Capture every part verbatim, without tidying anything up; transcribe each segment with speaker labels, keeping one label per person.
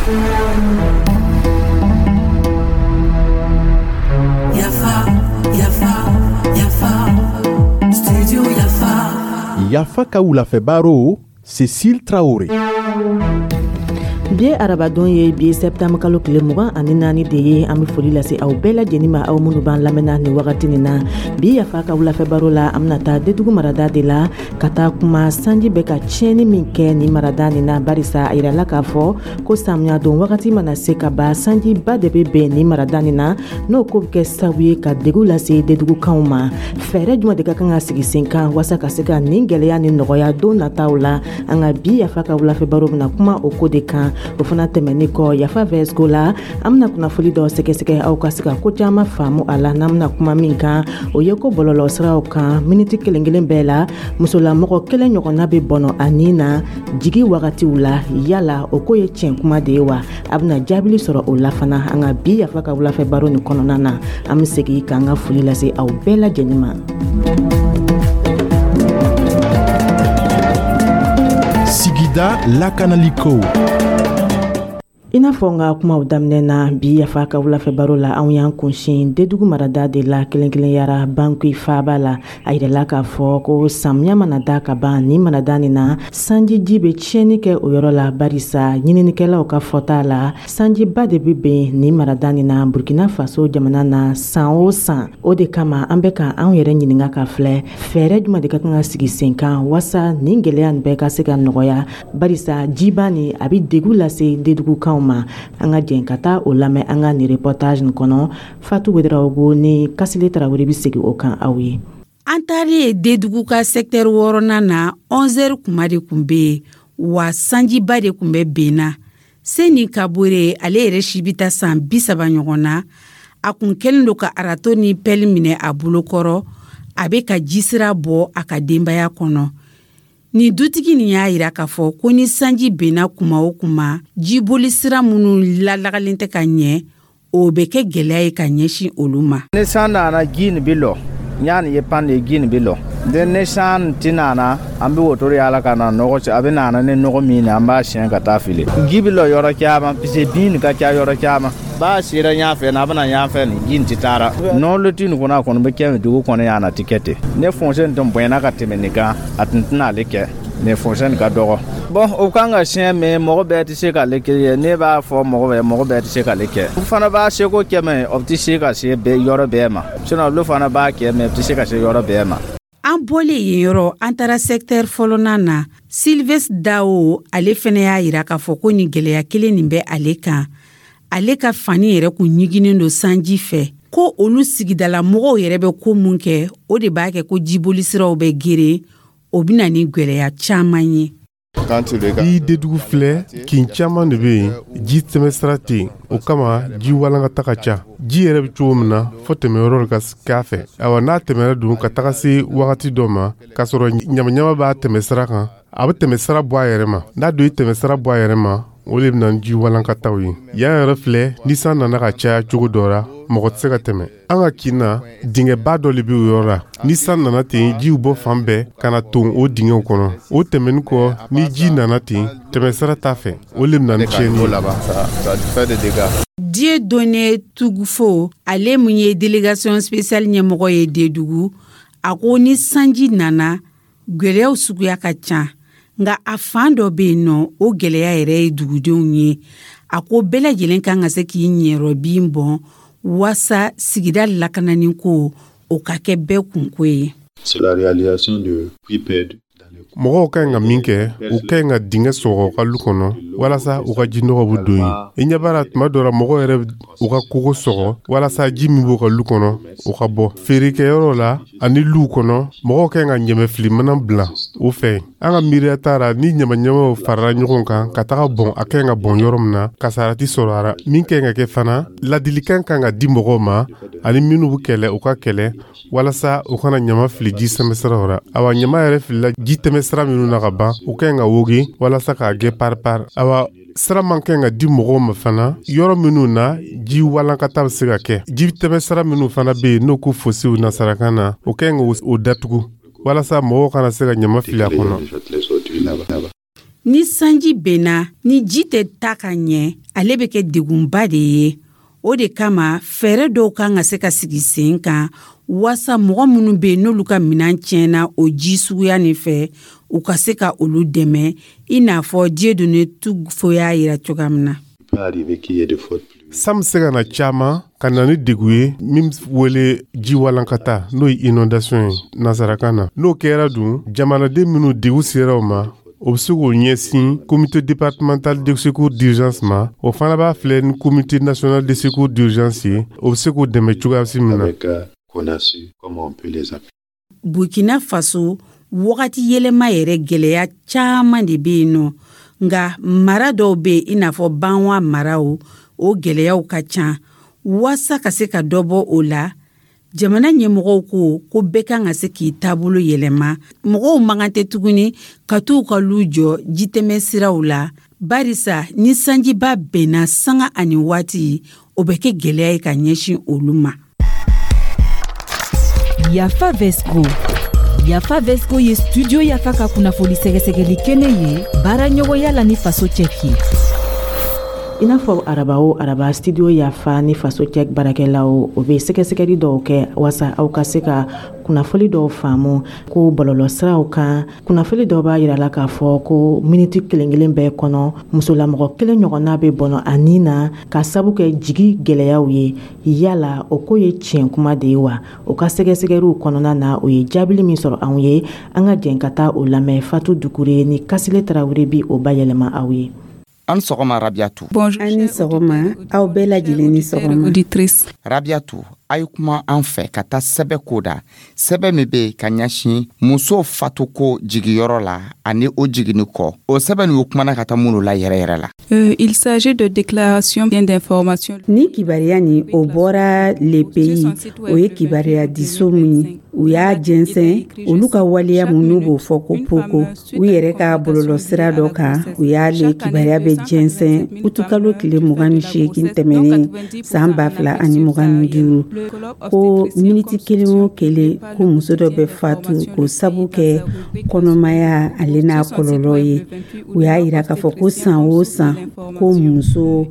Speaker 1: Yafa, Yafa, Yafa, Studio Yafa.
Speaker 2: Yafa ka wulafɛ baro, Cécile Traoré.
Speaker 3: Bi ye arabadon ye, bi ye sɛptanburu kalo tile mugan ani naani de ye. An bɛ foli lase aw bɛɛ lajɛlen ma, aw minnu b'an lamɛnna nin wagati nin na. Bi Yafa ka wulafɛ baro la, an bɛna taa Dedugu marada de la ka taa kuma sanji bɛ ka tiɲɛni min kɛ nin marada nin na, barisa a yirala k'a fɔ ko samiya don wagati mana se ka ban, sanjiba de bɛ bɛn nin marada nin na. N'o ko bɛ kɛ sababu ye ka degun lase Dedugukanw ma, fɛɛrɛ jumɛn de ka kan ka sigi sen kan walasa ka se ka nin gɛlɛya ni nɔgɔya don nataw la? An ka bi Yafa ka wulafɛ baro bɛna kuma o ko de kan. O fana tɛmɛni kɔ, Yafa vɛsiko la, an bɛna kunnafoli dɔ sɛgɛsɛgɛ, aw ka se ka ko caman faamu a la. N'an bɛna kuma min kan, o ye ko bɔlɔlɔ siraw kan, miniti kelen kelen bɛɛ la, musolamɔgɔ kelen ɲɔgɔnna bɛ bɔnɔ a nin na jigi wagatiw la. Yala o ko ye tiɲɛ kuma de ye wa? A bɛna jaabili sɔrɔ o la fana an ka bi Yafa ka wulafɛ baro nin kɔnɔna na. An bɛ segin k'an ka foli lase aw bɛɛ lajɛlen ma.
Speaker 2: Sigida lakanaliko.
Speaker 3: I n'a fɔ n ka kumaw daminɛ na, bi Yafa ka wulafɛ baro la, anw y'an kunsin Dedugu marada de la, kelen kelenyara Banki faaba la. A yirala k'a fɔ ko samiya mana da ka ban nin marada nin na, sanjiji bɛ tiɲɛni kɛ o yɔrɔ la, barisa ɲininikɛlaw ka fɔta la, sanjiba de bɛ bɛn nin marada nin na Burkina Faso jamana na san o san. O de kama an bɛ ka anw yɛrɛ ɲininka ka filɛ, fɛɛrɛ jumɛn de ka kan ka sigi sen kan walasa nin gɛlɛya nin bɛɛ ka se ka nɔgɔya, barisa jiba nin a bɛ degun lase Dedugukanw ma. An ka jɛn ka taa o lamɛn an ka nin reportage nin kɔnɔ. Fatu Wedarawogo ni Kasile Tarawele bɛ segin o kan aw ye.
Speaker 4: An taalen Dedugu ka secteur wɔɔrɔnan na, onze heures kuma de tun bɛ yen wa, sanjiba de tun bɛ ben na. Seni Kabore, ale yɛrɛ si bɛ taa san bi saba ɲɔgɔn na, a kun kɛlen don ka râteau ni pelle minɛ a bolokɔrɔ, a bɛ ka jisira bɔ a ka denbaya kɔnɔ. Nin dutigi nin y'a yira k'a fɔ ko ni sanji benna kuma o kuma, jiboli sira minnu lalagalen tɛ ka ɲɛ, o bɛ kɛ gɛlɛya ye ka ɲɛsin olu ma.
Speaker 5: Ni san nana, ji nin bɛ lɔ n nin ye pan de ye, ji nin bɛ lɔ den. Ni san ti nana, an bɛ wotoro yaala ka na nɔgɔ, a bɛ nana ni nɔgɔ min ye, an b'a siɲɛ ka taa fili. Ji bɛ lɔ yɔrɔ caman parce que bin nin ka ca yɔrɔ caman. B'a sera ɲa fɛ, n'a bɛna ɲa fɛ, nin ji nin tɛ taara nɔɔlɔ ti nin kɔnɔ. A kɔni bɛ kɛ dugu kɔnɔ yan, a tɛ kɛ ten. Ne fossé nin tun bonyana ka tɛmɛ nin kan, a tun tɛna ale kɛ nin fossé nin ka dɔgɔ. Bɔn, o kan ka siɲɛ mɛ mɔgɔ bɛɛ tɛ se k'ale kɛ ye. Ne b'a fɔ mɔgɔ bɛɛ, mɔgɔ bɛɛ tɛ se k'ale kɛ. U fana b'a seko kɛ mɛ o tɛ se ka se bɛɛ yɔrɔ bɛɛ ma, sinon olu fana b'a kɛ mɛ o tɛ se ka se yɔrɔ bɛɛ ma.
Speaker 4: An bɔlen yen yɔrɔ, an taara secteur fɔlɔnan na. Sylvestre Dao, ale fɛnɛ y'a yira k'a fɔ ko nin gɛlɛya kelen nin bɛ ale kan. Ale ka fani yɛrɛ kun ɲiginen don sanji fɛ, ko olu sigidala mɔgɔw yɛrɛ bɛ ko mun kɛ, o de b'a kɛ ko jibolisiraw bɛ geren. O bɛ na ni gwɛlɛya caman ye.
Speaker 6: I Dedugu filɛ, kin caman de bɛ yen, ji tɛmɛsira tɛ yen. O kama ji walankata ka ca. Ji yɛrɛ bɛ cogo min na, fo tɛmɛyɔrɔ ka k'a fɛ. Awa, n'a tɛmɛra dun ka taga se wagati dɔ ma k'a sɔrɔ ɲamaɲama b'a tɛmɛsira kan, a bɛ tɛmɛsira bɔ a yɛrɛ ma. N'a don i tɛmɛsira bɔ a yɛrɛ ma, o de bɛ na ni ji walankataw ye. Yan yɛrɛ filɛ, ni san nana ka caya cogo dɔ la, mɔgɔ tɛ se ka tɛmɛ. An ka kin na, dingɛba dɔ de bɛ o yɔrɔ la. Ni san nana ten, jiw bɔ fan bɛɛ ka na ton o dingɛw kɔnɔ. O tɛmɛni kɔ, ni ji nana ten, tɛmɛsira t'a fɛ, o de bɛ na ni tiɲɛni
Speaker 5: ye.
Speaker 4: Dieudonné Tugufo, ale mun ye délégation spéciale ɲɛmɔgɔ ye Dedugu, a ko ni sanji nana, gwɛlɛyaw suguya ka ca, nka a fan dɔ bɛ yen nɔ, o gɛlɛya yɛrɛ ye dugudenw ye. A ko bɛɛ lajɛlen kan ka se k'i ɲɛrɔ bin bɔn waasa sigida lakanani ko o ka kɛ bɛɛ kunko ye.
Speaker 6: Mɔgɔw ka ɲi ka min kɛ, u ka ɲi ka dingɛ sɔgɔ u ka lu kɔnɔ walasa u ka jinɔgɔ bɛ don yen. I ɲɛ b'a la, tuma dɔ la, mɔgɔw yɛrɛ u ka kogo sɔgɔ walasa ji min b'u ka lu kɔnɔ, o ka bɔ. Feerekɛyɔrɔ la ani luw kɔnɔ, mɔgɔw ka ɲi ka ɲɛmɛfilimana bila u fɛ. An ka miiriya t'a la, ni ɲamaɲamaw farala ɲɔgɔn kan ka taga bɔn, a ka ɲi ka bɔn yɔrɔ min na, kasara ti sɔrɔ a la. Min ka ɲi ka kɛ fana, ladilikan kan ka di mɔgɔw ma ani minnu bɛ kɛlɛ, u ka kɛlɛ walasa u kana ɲama fili ji sɛmɛsiraw la. Awa, ɲama yɛrɛ filila ji tɛmɛsira minnu na ka ban, u ka ɲi ka woge walasa k'a gɛ paripari. Awa, sira man ka ɲi ka di mɔgɔw ma fana yɔrɔ minnu na ji walankata bɛ se ka kɛ. Ji tɛmɛsira minnu fana bɛ yen n'o ko fosséw nasarakan na, o ka ɲi k'o datugu walasa mɔgɔw kana se ka ɲama fili a kɔnɔ.
Speaker 4: Ni sanji benna, ni ji tɛ taa ka ɲɛ, ale bɛ kɛ degunba de ye. O de kama, fɛɛrɛ dɔw kan ka se ka sigi sen kan waasa mɔgɔ minnu bɛ yen, n'olu ka minɛn tiɲɛna o ji suguya nin fɛ, u ka se ka olu dɛmɛ, i n'a fɔ Dieudonné Tugfo y'a yira cogoya min na.
Speaker 6: San bɛ se ka na caman ka na ni degu ye min wele ji walankata, n'o ye inondation ye nansarakan na. N'o kɛra dun, jamanaden minnu degu sera o ma, o bɛ se k'o ɲɛsin Comité départemental de secours d'urgence ma. O fana b'a filɛ ni Comité national de secours d'urgence ye, o bɛ se k'o dɛmɛ cogoya si min na.
Speaker 4: Burkina Faso, wagati yɛlɛma yɛrɛ gɛlɛya caman de bɛ yen nɔ, nka mara dɔw bɛ yen, i n'a fɔ Banwa maraw, o gɛlɛyaw ka ca. Waasa ka se ka dɔ bɔ o la, jamana ɲɛmɔgɔw ko ko bɛɛ kan ka se k'i taabolo yɛlɛma. Mɔgɔw man kan tɛ tuguni ka t'u ka lu jɔ jitɛmɛ siraw la, barisa ni sanjiba bɛnna sanga ani waati, o bɛ kɛ gɛlɛya ye ka ɲɛsin olu ma.
Speaker 7: Yafa Vesco. Yafa Vesco ye Studio Yafa ka kunnafoni sɛgɛsɛgɛli kɛnɛ ye, baara ɲɔgɔnya la ni Faso Cɛki.
Speaker 3: I n'a fɔ araba o araba, Studio Yafa ni Faso Cɛ baarakɛlaw, o bɛ sɛgɛsɛgɛli dɔw kɛ waasa aw ka se ka kunnafoni dɔw faamu ko bɔlɔlɔsiraw kan. Kunnafoni dɔw b'a yira la k'a fɔ ko miniti kelen kelen bɛɛ kɔnɔ, musolamɔgɔ kelen ɲɔgɔnna bɛ bɔnɔ a nin na ka sabu kɛ jigi gɛlɛyaw ye. Yala o ko ye tiɲɛ kuma de ye wa? O ka sɛgɛsɛgɛliw kɔnɔna na, o ye jaabili min sɔrɔ anw ye, an ka jɛn ka taa o lamɛn. Fatu Dukure ni Kasile Tarawele bi o bayɛlɛma aw ye.
Speaker 8: An sɔgɔma, Rabiatu.
Speaker 4: An ni sɔgɔma, aw bɛɛ lajɛlen ni sɔgɔma.
Speaker 8: Rabiatu, a ye kuma an fɛ ka taa sɛbɛ ko da, sɛbɛ min bɛ ka ɲɛsin muso fatuko jigiyɔrɔ la ani o jiginni kɔ. O sɛbɛn nin, o kumana ka taa minnu la yɛrɛ yɛrɛ la.
Speaker 9: Euh, il s'agit de déclaration d'information.
Speaker 4: Ni kibaruya nin, o bɔra Le Pays, o ye kibaruya diso min u y'a jɛnsɛn, olu ka waleya mun n'u b'o fɔ ko poko, u yɛrɛ ka bɔlɔlɔsira dɔ kan, u y'a le kibaruya bɛ jɛnsɛn utukalo tile mugan ni seegin tɛmɛnen san ba fila ani mugan ni duuru, ko miniti kelen o kelen, ko muso dɔ bɛ fatu k'o sabu kɛ kɔnɔmaya ale n'a kɔlɔlɔ ye. U y'a yira k'a fɔ ko san o san, ko muso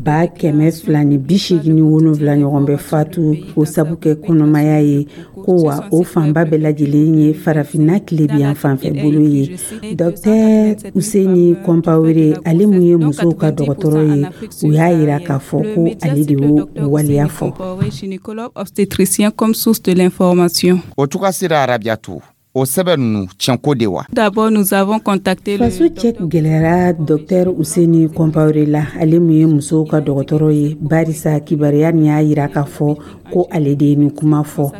Speaker 4: ba kɛmɛ fila ni bi seegin ni wolonwula ɲɔgɔn bɛ fatu k'o sabu kɛ kɔnɔmaya ye, ko wa o fanba bɛɛ lajɛlen ye Farafinna tilebiyan fanfɛ bolo ye. Dɔktɛr Useni Kɔnpawere, ale mun ye musow ka dɔgɔtɔrɔ ye, u y'a yira k'a fɔ ko ale de y'o waleya fɔ.
Speaker 9: Gynécologue obstétricien comme source de l'information.
Speaker 8: O cogoya sera, Rabiatu, o sɛbɛn ninnu tiɲɛko de wa?
Speaker 9: D'abord, nous avons contacté le
Speaker 4: Faso Cɛ gɛlɛyara Dɔktɛr Useni Kɔnpawere la, ale mun ye musow ka dɔgɔtɔrɔ ye, barisa kibaruya nin y'a yira k'a fɔ ko ale de ye nin kuma fɔ.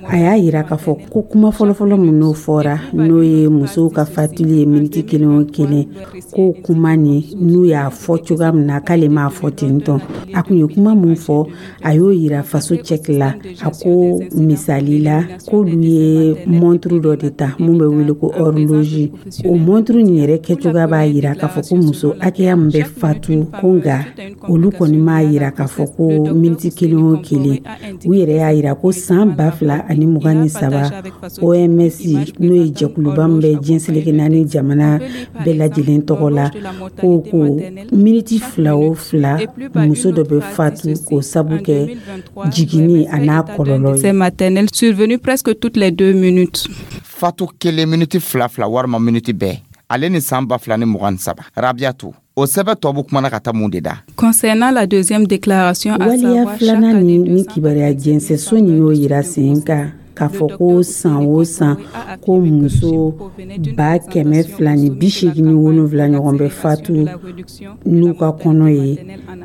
Speaker 4: A y'a yira k'a fɔ ko kuma fɔlɔfɔlɔ min n'o fɔra, n'o ye musow ka fatuli ye miniti kelen o kelen, ko kuma nin, n'u y'a fɔ cogoya min na, k'ale m'a fɔ ten tɔ. A kun ye kuma mun fɔ, a y'o yira Faso Cɛki la. A ko misali la, k'olu ye montre dɔ de ta mun bɛ wele ko horloge. O montre nin yɛrɛ kɛcogoya b'a yira k'a fɔ ko muso hakɛya min bɛ fatu ko, nka olu kɔni m'a yira k'a fɔ ko miniti kelen o kelen. U yɛrɛ y'a yira ko san ba fila ani mugan ni saba, O M S, n'o ye jɛkuluba min bɛ diɲɛ seleke naani jamana bɛɛ lajɛlen tɔgɔ la, ko ko miniti fila o fila, muso dɔ bɛ fatu k'o sabu kɛ jiginni a n'a kɔlɔlɔ ye.
Speaker 9: Décès maternel survenu presque toutes les deux minutes.
Speaker 8: Fatu kelen miniti fila fila walima miniti bɛɛ, ale ni san ba fila ni mugan ni saba. Rabiatu, o sɛbɛ tɔ bɛ kumana ka taa mun de da?
Speaker 9: Concernant la deuxième déclaration, à
Speaker 4: Waleya
Speaker 9: savoir
Speaker 4: filanan nin, ni kibaruya jɛnsɛso nin y'o yira sen kan k'a fɔ ko san o san, ko muso ba kɛmɛ fila ni bi seegin ni wolonwula ɲɔgɔn bɛ fatu n'u ka kɔnɔ ye,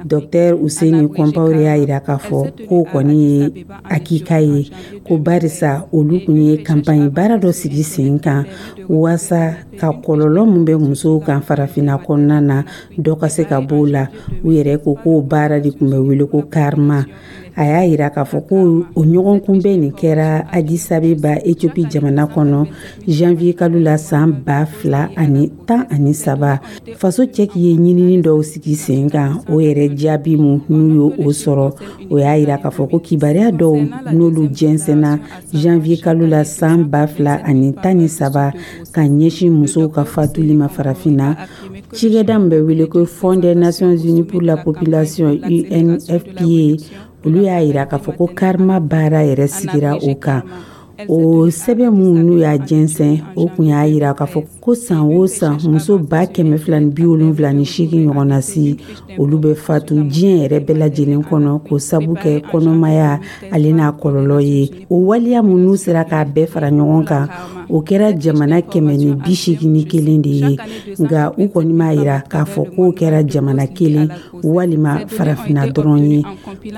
Speaker 4: Dɔktɛr Useni Kɔnpawere y'a yira k'a fɔ k'o kɔni ye hakika ye, ko barisa olu kun ye kanpaɲi baara dɔ sigi sen kan waasa ka kɔlɔlɔ min bɛ musow kan Farafinna kɔnɔna na, dɔ ka se ka b'o la. U yɛrɛ ko k'o baara de tun bɛ wele ko Karma. A y'a yira k'a fɔ ko o ɲɔgɔn kunbɛn nin kɛra Addis Abeba, Ethiopie jamana kɔnɔ, janvier kalo la san ba fila ani tan ani saba. Faso cɛki ye ɲinini dɔw sigi sen kan. O yɛrɛ jaabi mu n'u y'o o sɔrɔ, o y'a yira k'a fɔ ko kibaruya dɔw n'olu jɛnsɛnna janvier kalo la san ba fila ani tan ni saba ka ɲɛsin musow ka fatuli ma Farafinna, cikɛda min bɛ wele ko Fonds des Nations Unies pour la population, U N F P A, olu y'a yira k'a fɔ ko Karma baara yɛrɛ sigira o kan. O sɛbɛn minnu n'u y'a jɛnsɛn, o kun y'a yira k'a fɔ ko san o san, muso ba kɛmɛ fila ni bi wolonfila ni seegin ɲɔgɔnna si, olu bɛ fatu diɲɛ yɛrɛ bɛɛ lajɛlen kɔnɔ k'o sabu kɛ kɔnɔmaya ale n'a kɔlɔlɔ ye. O waleya minnu sera k'a bɛɛ fara ɲɔgɔn kan, o kɛra jamana kɛmɛ ni bi seegin ni kelen de ye. Nka u kɔni m'a yira k'a fɔ k'o kɛra jamana kelen walima Farafinna dɔrɔn ye,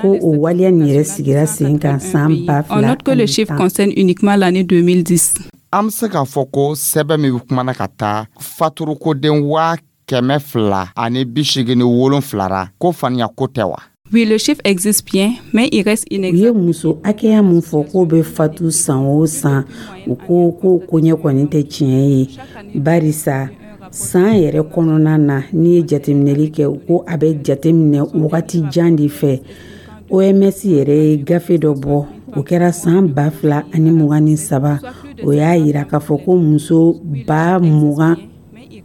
Speaker 4: ko o waleya nin yɛrɛ sigira sen kan san ba
Speaker 9: On
Speaker 4: fila
Speaker 9: note que le chiffre concerne uniquement l'année deux mille dix.
Speaker 8: An be se k'a fɔ ko sɛbɛn min be kumana ka taa faturukoden waa kɛmɛ fila ani bi segin ni wolonfila ra, ko faniya ko tɛ wa?
Speaker 9: Oui, le chiffre existe bien, mais il reste
Speaker 4: U
Speaker 9: inexact.
Speaker 4: ye muso hakɛya min fɔ k'o bɛ fatu san o san, u ko ko koɲɛ kɔni tɛ tiɲɛ ye, barisa san yɛrɛ kɔnɔna na, n'i ye jateminɛli kɛ, u ko a bɛ jateminɛ wagati jan de fɛ. O M S yɛrɛ ye gafe dɔ bɔ, o kɛra san ba fila ani mugan ni saba. O y'a yira k'a fɔ ko muso ba mugan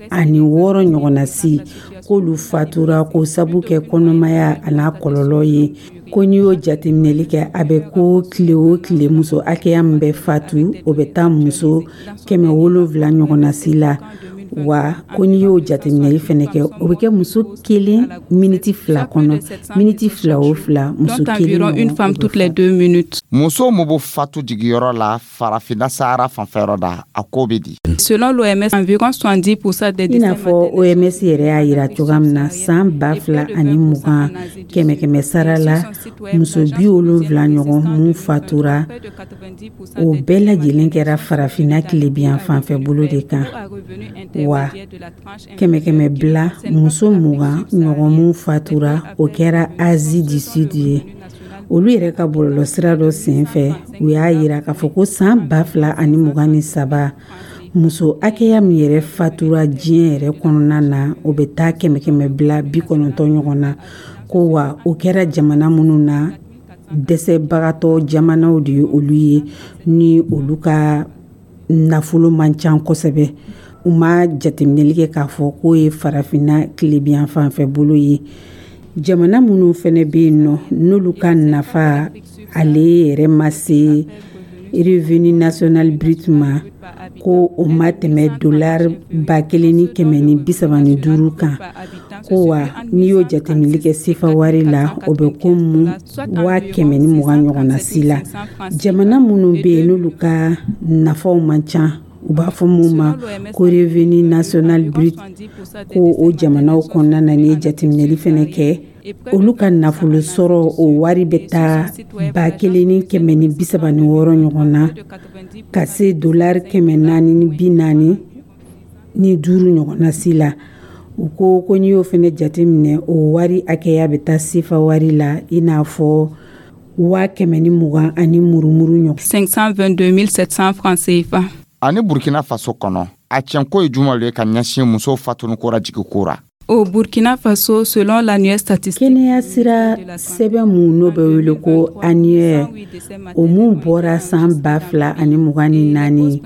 Speaker 4: ani wɔɔrɔ ɲɔgɔnna si, k'olu fatura ko sabu kɛ kɔnɔmaya a n'a kɔlɔlɔ ye. Ko n'i y'o jateminɛli kɛ, a bɛ ko tile o tile, muso hakɛya min bɛ fatu, o bɛ taa muso kɛmɛ wolonfila ɲɔgɔnna si la. Wa ko n'i y'o jateminɛli fɛnɛ kɛ, o bɛ kɛ muso kelen miniti fila kɔnɔ, miniti fila o fila, muso
Speaker 9: Dont
Speaker 4: kelen
Speaker 9: environ une
Speaker 4: ɲɔgɔn
Speaker 9: femme
Speaker 4: o bɛ
Speaker 9: toutes les
Speaker 4: fatu.
Speaker 9: deux minutes.
Speaker 8: Muso min bɛ fatu jigiyɔrɔ la Farafinna Sahara fanfɛyɔrɔ da, a ko bɛ di?
Speaker 9: Selon l'O M S, environ soixante-dix pour cent des
Speaker 4: I n'a
Speaker 9: décès
Speaker 4: fɔ O M S yɛrɛ y'a yira cogoya min na, san ba fila ani mugan, kɛmɛ kɛmɛ sara la, muso bi wolonfila ɲɔgɔn mun fatura, o bɛɛ lajɛlen kɛra Farafinna tilebiyan fanfɛ bolo de kan. Wa kɛmɛ kɛmɛ bila, muso mugan ɲɔgɔn mun fatura, o kɛra Asie du Sud ye. Olu yɛrɛ ka bɔlɔlɔsira dɔ sen fɛ, u y'a yira k'a fɔ ko san ba fila ani mugan ni saba, muso hakɛya min yɛrɛ fatura diɲɛ yɛrɛ kɔnɔna na, o bɛ taa kɛmɛ kɛmɛ bila bi kɔnɔntɔn ɲɔgɔn na. Ko wa o kɛra jamana minnu na, dɛsɛbagatɔ jamanaw de ye olu ye, ni olu ka nafolo man ca kosɛbɛ. U ma jateminɛli kɛ k'a fɔ k'o ye Farafinna tilebiyan fanfɛ bolo ye. Jamana minnu fɛnɛ bɛ yen nɔ, n'olu ka nafa ale yɛrɛ ma se revenu national brut ma, ko o ma tɛmɛ dolari ba kelen ni kɛmɛ ni bi saba ni duuru kan, ko wa n'i y'o jateminɛli kɛ sefa wari la, o bɛ komi waa kɛmɛ ni mugan ɲɔgɔnna si la. Jamana minnu bɛ yen, n'olu ka nafaw man ca, u b'a fɔ mun ma ko revenu national brut, ko o jamanaw kɔnɔna na, n'i ye jateminɛli fɛnɛ kɛ, olu ka nafolo sɔrɔ o wari bɛ taa ba kelen ni kɛmɛ ni bi saba ni wɔɔrɔ ɲɔgɔn na ka se dolari kɛmɛ naani ni bi naani ni duuru ɲɔgɔnna si la. U ko ko n'i y'o fɛnɛ jateminɛ, o wari hakɛya bɛ taa sefa wari la i n'a fɔ waa kɛmɛ ni mugan ani murumuru ɲɔgɔn.
Speaker 9: cinq cent vingt-deux mille sept cents francs C F A.
Speaker 8: Ani Burkina Faso kɔnɔ, a tiɲɛko ye juman ye ka ɲɛsin musow fatuniko ra jigiko ra?
Speaker 9: Au Burkina Faso, selon l'annuaire statistique
Speaker 4: Kɛnɛya sira sɛbɛn mun n'o bɛ wele ko annuaire, o mun bɔra san ba fila ani mugan ni naani,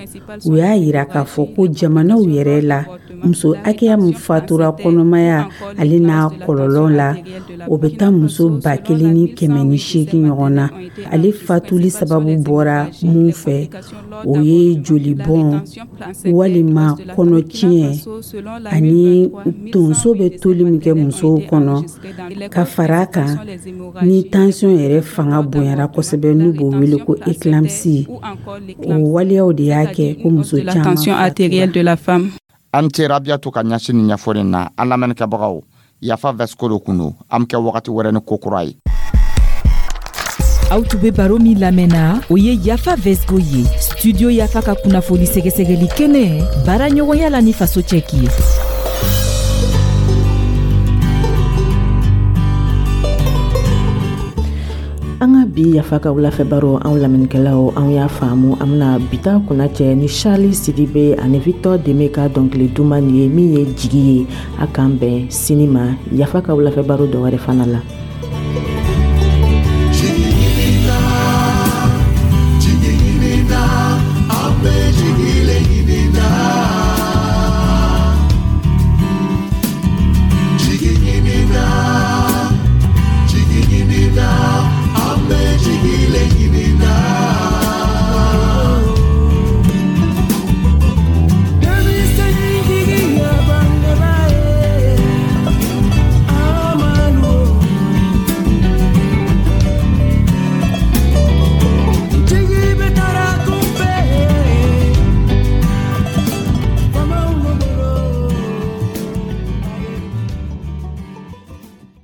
Speaker 4: u y'a yira k'a fɔ ko jamanaw yɛrɛ la, muso hakɛya min fatura kɔnɔmaya ale n'a kɔlɔlɔ la, o bɛ taa muso ba kelen ni kɛmɛ ni seegin ɲɔgɔn na. Ale fatuli sababu bɔra mun fɛ, o ye jolibɔn walima kɔnɔtiɲɛ ani tonso bɛ toli min kɛ musow kɔnɔ, ka fara a kan ni tansiyɔn yɛrɛ fanga bonyara kosɛbɛ, n'u b'o wele ko éclampsie. O waleyaw de y'a kɛ ko muso
Speaker 9: de la
Speaker 4: caman
Speaker 9: tension artérielle de la femme.
Speaker 8: An ce Rabiyatu ka ɲɛsin ni ɲɛfɔli na. An lamɛnnikɛbagaw, Yafa Vɛsiko de kun don. An be kɛ wagati wɛrɛ ni ko kura ye.
Speaker 7: Aw tun be baro min lamɛnna, o ye Yafa Vɛsgo ye, Studio Yafa ka kunnafoni sɛgɛsɛgɛli kɛnɛ, baara ɲɔgɔnya la ni Faso cɛki ye.
Speaker 3: An ka bi Yafa ka wulafɛ baro, anw lamɛnnikɛlaw, anw y'a faamu. An bena bita kunna cɛ ni Charles Sidibe ani Victor Deme ka dɔnkili duman nin ye, min ye Jigi ye. A k'an bɛn sini ma Yafa ka wulafɛ baro dɔ wɛrɛ fana la.
Speaker 1: Jigi.